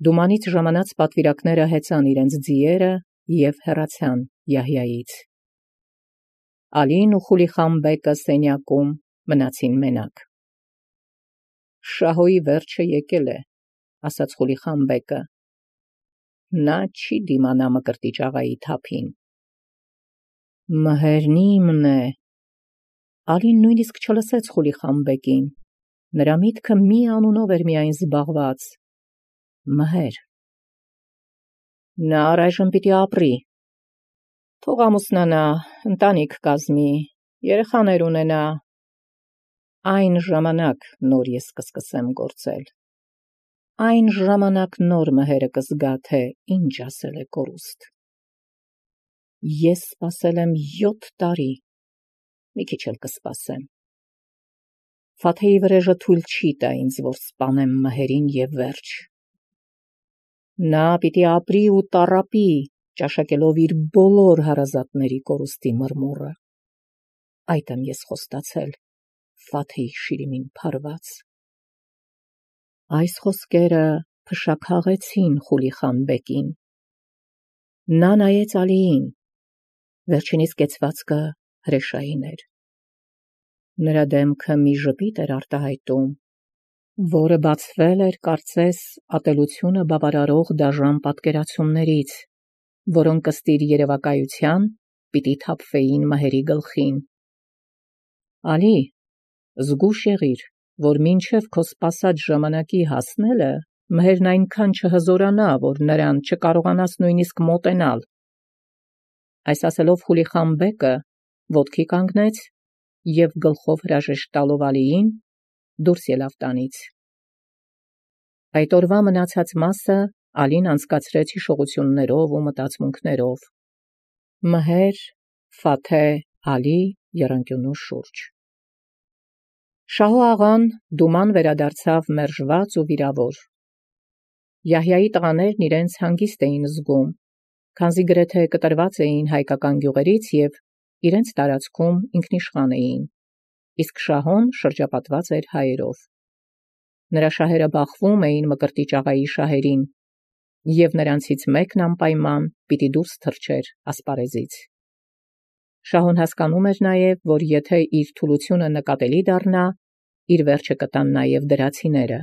Դումանից ժամանած պատվիրակները հեծան իրենց ձիերը և հեռացան Յահյայից։ Ալին ու Խուլիխան բեկը սենյակում մնացին մենակ։ Շահոյի վերջը եկել է, ասաց Խուլիխան բեկը։ Նա չի դիմանա Մկրտիչ աղայի թափին։ Մհերն իմն է։ Ալին նույնիսկ չլսեց Խուլիխան բեկին։ Նրա միտքը մի անունով էր միայն զբաղված։ Մհեր։ Նա առայժմ պիտի ապրի։ Թող ամուսնանա, ընտանիք կազմի, երեխաներ ունենա։ Այն ժամանակ նոր ես կսկսեմ գործել։ Այն ժամանակ նոր մհերը կզգա, թե ինչ ասել է կորուստ։ Ես սպասել եմ 7 տարի, մի քիչ էլ կսպասեմ։ Ֆաթեի վրեժը թույլ չի տա ինձ, որ սպանեմ մհերին և վերջ։ Նա պիտի ապրի ու տառապի, ճաշակելով իր բոլոր հարազատների կորուստի մրմուռը։ Այդ եմ ես խոստացել Ֆաթեի շիրիմին փարված։ Այս խոսքերը փշաքաղեցին Խուլիխան բեկին։ Նա նայեց Ալիին, վերջինիս կեցվածքը հրեշային էր։ Նրա դեմքը մի ժպիտ էր արտահայտում, որը բացվել էր, կարծես, ատելությունը բավարարող դաժան պատկերացումներից, որոնք ըստ իր երևակայության պիտի թափվեին մհերի գլխին։ Ալի, զգույշ եղիր, որ մինչև քո սպասած ժամանակի հասնելը մհերն այնքան չհզորանա, որ նրան չկարողանաս նույնիսկ մոտենալ։ Այս ասելով Խուլիխան բեկը ոտքի կանգնեց և գլխով հրաժեշտ տալով Ալիին դուրս ելավ տանից։ Այդ օրվա մնացած մասը Ալին անցկացրեց հիշողություններով ու մտածմունքներով։ Մհեր, Ֆաթե, Ալի եռանկյունու շուրջ։ Շահո աղան դուման վերադարձավ մերժված ու վիրավոր։ Յահյայի տղաներն իրենց հանգիստ էին զգում, քանզի գրեթե կտրված էին հայկական գյուղերից և իրենց տարածքում ինքնիշխան էին, իսկ Շահոն շրջապատված էր հայերով։ Նրա շահերը բախվում էին Մկրտիչ աղայի շահերին, և նրանցից մեկն անպայման պիտի դուրս թռչեր ասպարեզից։ Շահոն հասկանում էր նաև, որ եթե իր թուլությունը նկատելի դառնա, իր վերջը կտան նաև դրացիները։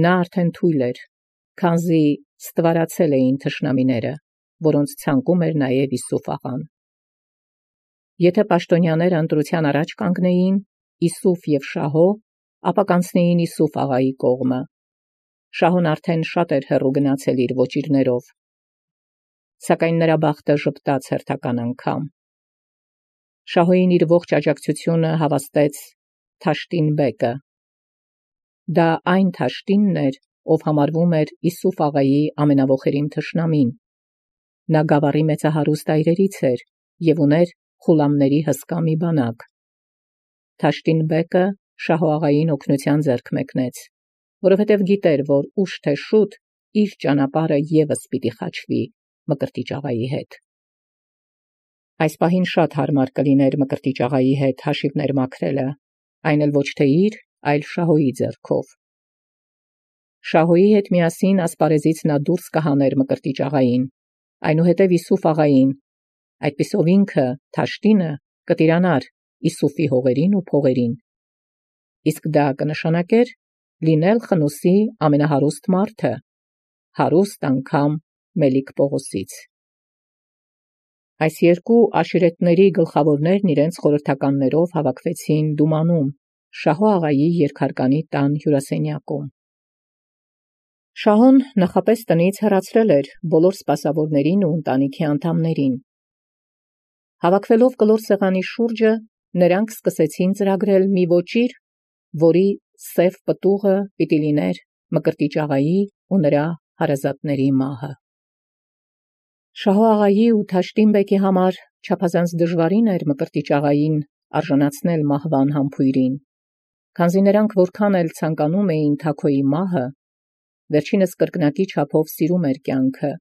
Նա արդեն թույլ էր, քանզի ստվարացել էին թշնամիները, որոնց ցանկում էր նաև Իսուֆ աղան։ Եթե պաշտոնյաները ընտրության առաջ կանգնեին Իսուֆ և Շահո, ապա կանցնեին Իսուֆ աղայի կողմը։ Շահոն արդեն շատ էր հեռու գնացել իր ոճիրներով, սակայն նրա բախտը ժպտաց հերթական անգամ։ Շահոյին իր ողջ աջակցությունը հավաստեց Թաշտին բեկը։ Դա այն Թաշտինն էր, ով համարվում էր Իսուֆ աղայի ամենավոխերին թշնամին։ Նա գավառի մեծահարուստ այրերից էր և ուներ խուլամների հսկա մի բանակ։ Թաշտին բեկը Շահո աղային օգնության ձեռք մեկնեց, որովհետև գիտեր, որ ուշ թե շուտ իր ճանապարհը ևս պիտի խաչվի Մկրտիչ աղայի հետ։ Այս պահին շատ հարմար կլիներ Մկրտիչ աղայի հետ հաշիվներ մաքրելը, այն էլ ոչ թե իր, այլ Շահոյի ձեռքով։ Շահոյի հետ միասին ասպարեզից նա դուրս կհաներ Մկրտիչ աղային, այնուհետև Իսուֆ աղային, այդպիսով ինքը, Թաշտինը, կտիրանար Իսուֆի հողերին ու փողերին։ Իսկ դա կնշանակեր լինել Խնուսի ամենահարուստ մարդը, հարուստ անգամ Մելիք Պողոսից։ Այս երկու աշիրեթների գլխավորներն իրենց խորհրդականներով հավաքվեցին դումանում, Շահո աղայի երկհարկանի տան հյուրասենյակում։ Շահոն նախապես տնից հեռացրել էր բոլոր սպասավորներին ու ընտանիքի անդամներին։ Հավաքվելով կլոր սեղանի շուրջը, նրանք սկսեցին ծրագրել մի ոճիր, որի սև պտուղը պիտի լիներ Մկրտիչ աղայի ու նրա հարազատների մահը։ Շահո աղայի ու Թաշտին բեկի համար չափազանց դժվարին էր Մկրտիչ աղային արժանացնել մահվան համբույրին, քանզի նրանք որքան էլ ցանկանում էին Թագոյի մահը, վերջինս կրկնակի չափով սիրում էր կյանքը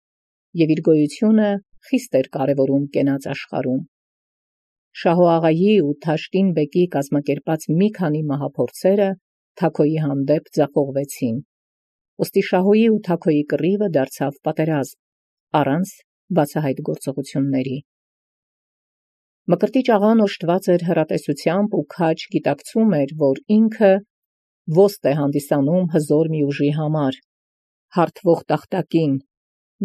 և իր գոյությունը խիստ էր կարևորում կենաց աշխարհում։ Շահո աղայի ու Թաշտին բեկի կազմակերպած մի քանի մահափորձերը Թագոյի հանդեպ ձախողվեցին։ Ոստի Շահոյի ու Թաքոյի կռիվը դարձավ պատերազմ, առանց բացահայտ գործողությունների։ Մկրտիչ աղան օժտված էր հեռատեսությամբ ու քաջ գիտակցում էր, որ ինքը ոստ է հանդիսանում հզոր մի ուժի համար, հարթվող տախտակին,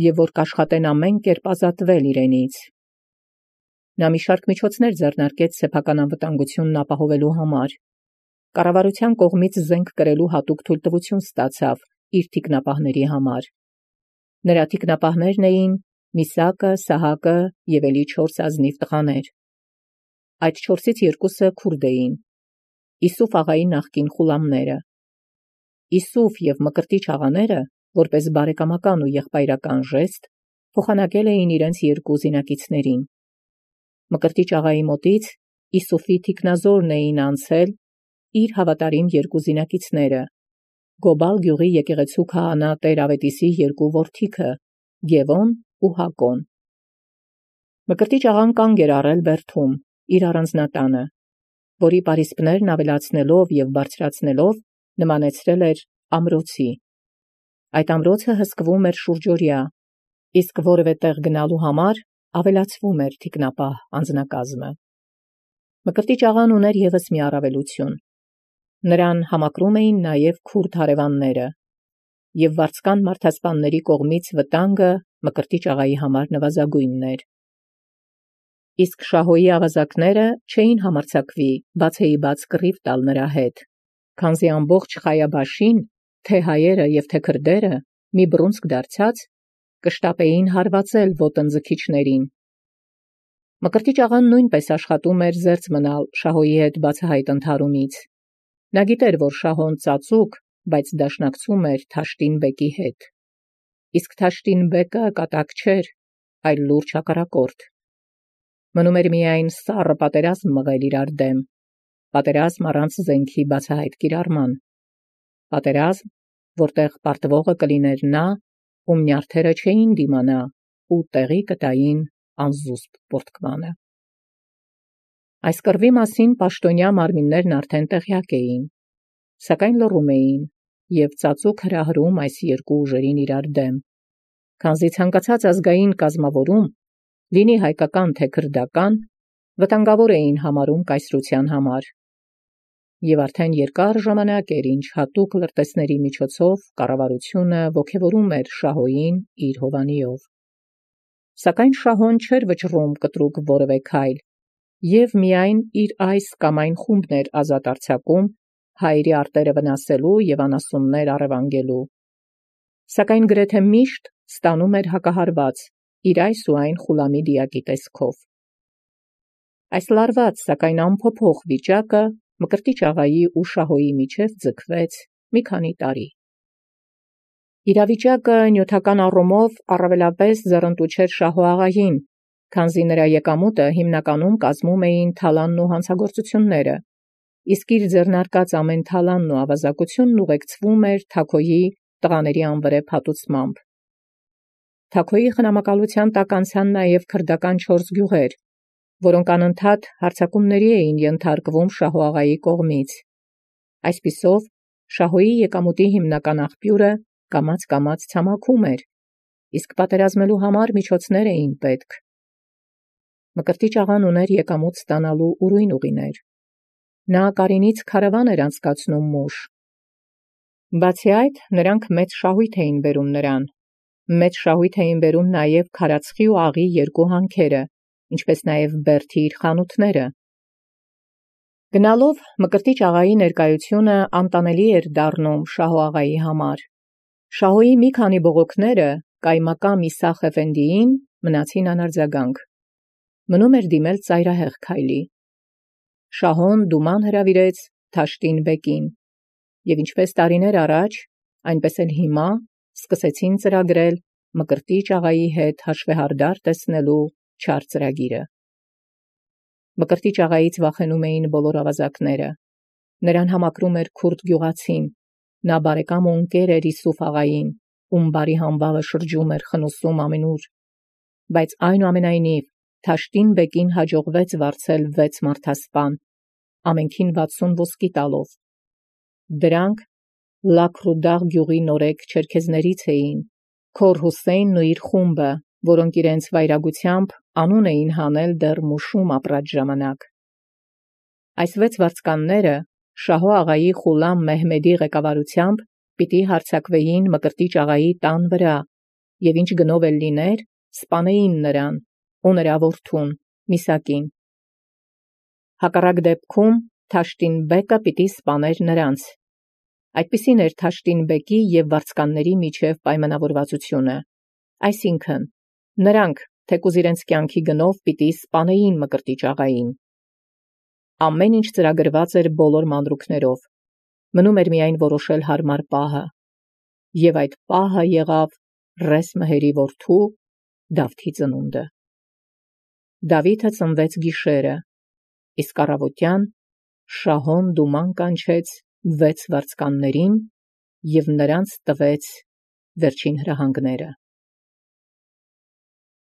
եւ որ կաշխատեն ամեն կերպ ազատվել իրենից։ Նա մի շարք միջոցներ ձեռնարկեց սեփական անվտանգությունն ապահովելու համար։ Կառավարության կողմից զենք կրելու հատուկ թույլտվություն ստացավ իր թիկնապահների համար։ Նրա թիկնապահներն էին Միսակը, Սահակը եւ ելի 4 ազնիվ տղաներ։ Այդ 4-ից 2-ը քուրդ էին, Իսուֆ աղայի նախկին խուլամները։ Իսուֆ եւ Մկրտիչ աղաները, որպես բարեկամական ու եղբայրական ժեստ, փոխանակել էին իրենց 2 զինակիցներին։ Մկրտիչ աղայի մոտից Իսուֆի թիկնազորն էին անցել իր հավատարիմ 2 զինակիցները, Գոբալ գյուղի եկեղեցու քահանա Տեր Ավետիսի 2 որդիքը, Գևոն ու Հակոն։ Մկրտիչ աղան կանգ էր առել բերդում իր առանձնատանը, որի պարիսպներն ավելացնելով եւ բարձրացնելով նմանեցրել էր ամրոցի։ Այդ ամրոցը հսկվում էր շուրջօրյա, իսկ որևէ տեղ գնալու համար ավելացվում էր թիկնապահ անձնակազմը։ Մկրտիչ աղան ուներ եւս մի առավելություն. նրան համակրում էին նաեւ քուրդ հարևանները, եւ վարձկան մարդասպանների կողմից վտանգը Մկրտիչ աղայի համար նվազագույնն էր։ Իսկ Շահոյի ավազակները չէին համարձակվի բացեիբաց կռիվ տալ նրա հետ, քանզի ամբողջ Խայաբաշին, թե հայերը եւ թե քրդերը, մի բռունցք դարձած, կշտապեին հարվածել ոտնձգիչներին։ Մկրտիչ աղան նույնպես աշխատում էր զերծ մնալ Շահոյի հետ բացահայտ ընդհարումից։ Նա գիտեր, որ Շահոն ծածուկ, բայց դաշնակցում էր Թաշտին բեկի հետ։ Իսկ Թաշտին բեկը կատակ չէր, այլ լուրջ հակառակորդ։ Մնում էր միայն սառը պատերազմ մղել իրար դեմ, պատերազմ առանց զենքի բացահայտ կիրառման, պատերազմ, որտեղ պարտվողը կլիներ նա, ում նյարդերը չէին դիմանա ու տեղի կտային անզուսպ պորտկմանը։ Այս կռվի մասին պաշտոնյա մարմիններն արդեն տեղյակ էին, սակայն լռում էին եւ ծածուկ հրահրում այս 2 ուժերին իրար դեմ, քանզի ցանկացած ազգային կազմավորում, լինի հայկական թե քրդական, վտանգավոր էին համարում կայսրության համար։ Եվ արդեն երկար ժամանակ էր, ինչ հատուկ լրտեսների միջոցով կառավարությունը ոգևորում էր Շահոյին իր հովանիով։ Սակայն Շահոն չէր վճռում կտրուկ որևէ քայլ, եւ միայն իր այս կամ այն խումբն էր ազատ արձակում հայերի արտերը վնասելու եւ անասուններ առևանգելու։ Սակայն գրեթե միշտ ստանում էր հակահարված իր այս ու այն խուլամի դիակի տեսքով։ Այս լարված, սակայն անփոփոխ վիճակը Մկրտիչ աղայի ու Շահոյի միջև ձգվեց մի քանի տարի։ Իրավիճակը նյութական առումով առավելապես ձեռնտու չէր Շահո աղային, քանզի նրա եկամուտը հիմնականում կազմում էին թալանն ու հանցագործությունները, իսկ իր ձեռնարկած ամեն թալանն ու ավազակությունն ուղեկցվում էր Թաքոյի տղաների անվրեպ հատուցմամբ։ Թաքոյի խնամակալության տակ անցան նաև քրդական 4 գյուղեր, որոնք անընդհատ հարձակումների էին ենթարկվում Շահո աղայի կողմից։ Այսպիսով, Շահոյի եկամուտի հիմնական աղբյուրը կամաց ցամաքում էր, իսկ պատերազմելու համար միջոցներ էին պետք։ Մկրտիչ աղան ուներ եկամուտ ստանալու ուրույն ուղիներ։ Նա Կարինից քարավան էր անցկացնում մուշ։ Բացի այդ, նրանք մեծ շահույթ էին բերում նրան։ Մեծ շահույթ էին բերում նաև քարածխի ու աղի 2 հանքերը, ինչպես նաև բերդի իր խանութները։ Գնալով Մկրտիչ աղայի ներկայությունը անտանելի էր դառնում Շահո աղայի համար։ Շահոյի մի քանի բողոքները կայմակամ Իսախ Էֆենդիին մնացին անարձագանք։ Մնում էր դիմել ծայրահեղ քայլի։ Շահոն դուման հրավիրեց Թաշտին բեկին, եւ ինչպես տարիներ առաջ, այնպես էլ հիմա սկսեցին ծրագրել Մկրտիչ աղայի հետ հաշվեհարդար տեսնելու չար ծրագիրը։ Մկրտիչ աղայից վախենում էին բոլոր ավազակները։ Նրան համակրում էր քուրդ գյուղացին, նա բարեկամ ու ընկեր էր Իսուֆ աղային, ում բարի համբավը շրջում էր խնուսում ամենուր։ Բայց այնուամենայնիվ Թաշտին բեկին հաջողվեց վարձել 6 մարդասպան, ամենքին 60 ոսկի տալով։ Դրանք Լաքրուդաղ գյուղի նորեկ չերքեզներից էին, քոր Հուսեյնն ու իր խումբը, որոնք իրենց վայրագությամբ անուն էին հանել դեռ Մուշում ապրած ժամանակ։ Այս 6 վարձկանները Շահո աղայի Խուլամ Մեհմեդի ղեկավարությամբ պիտի հարձակվեին Մկրտիչ աղայի տան վրա, եւ ինչ գնով էլ լիներ, սպանեին նրան ու նրա որդուն Միսակին։ Հակառակ դեպքում Թաշտին բեկը պիտի սպաներ նրանց։ Այդպիսին էր Թաշտին բեկի եւ վարձկանների միջև պայմանավորվածությունը, այսինքն նրանք թեկուզ իրենց կյանքի գնով պիտի սպանեին Մկրտիչ աղային։ Ամեն ինչ ծրագրված էր բոլոր մանրուքներով, մնում էր միայն որոշել հարմար պահը, եւ այդ պահը եղավ Ռես Մհերի որդու Դավթի ծնունդը։ Դավիթը ծնվեց գիշերը, իսկ առավոտյան Շահոն դուման կանչեց 6 վարձկաններին եւ նրանց տվեց վերջին հրահանգները։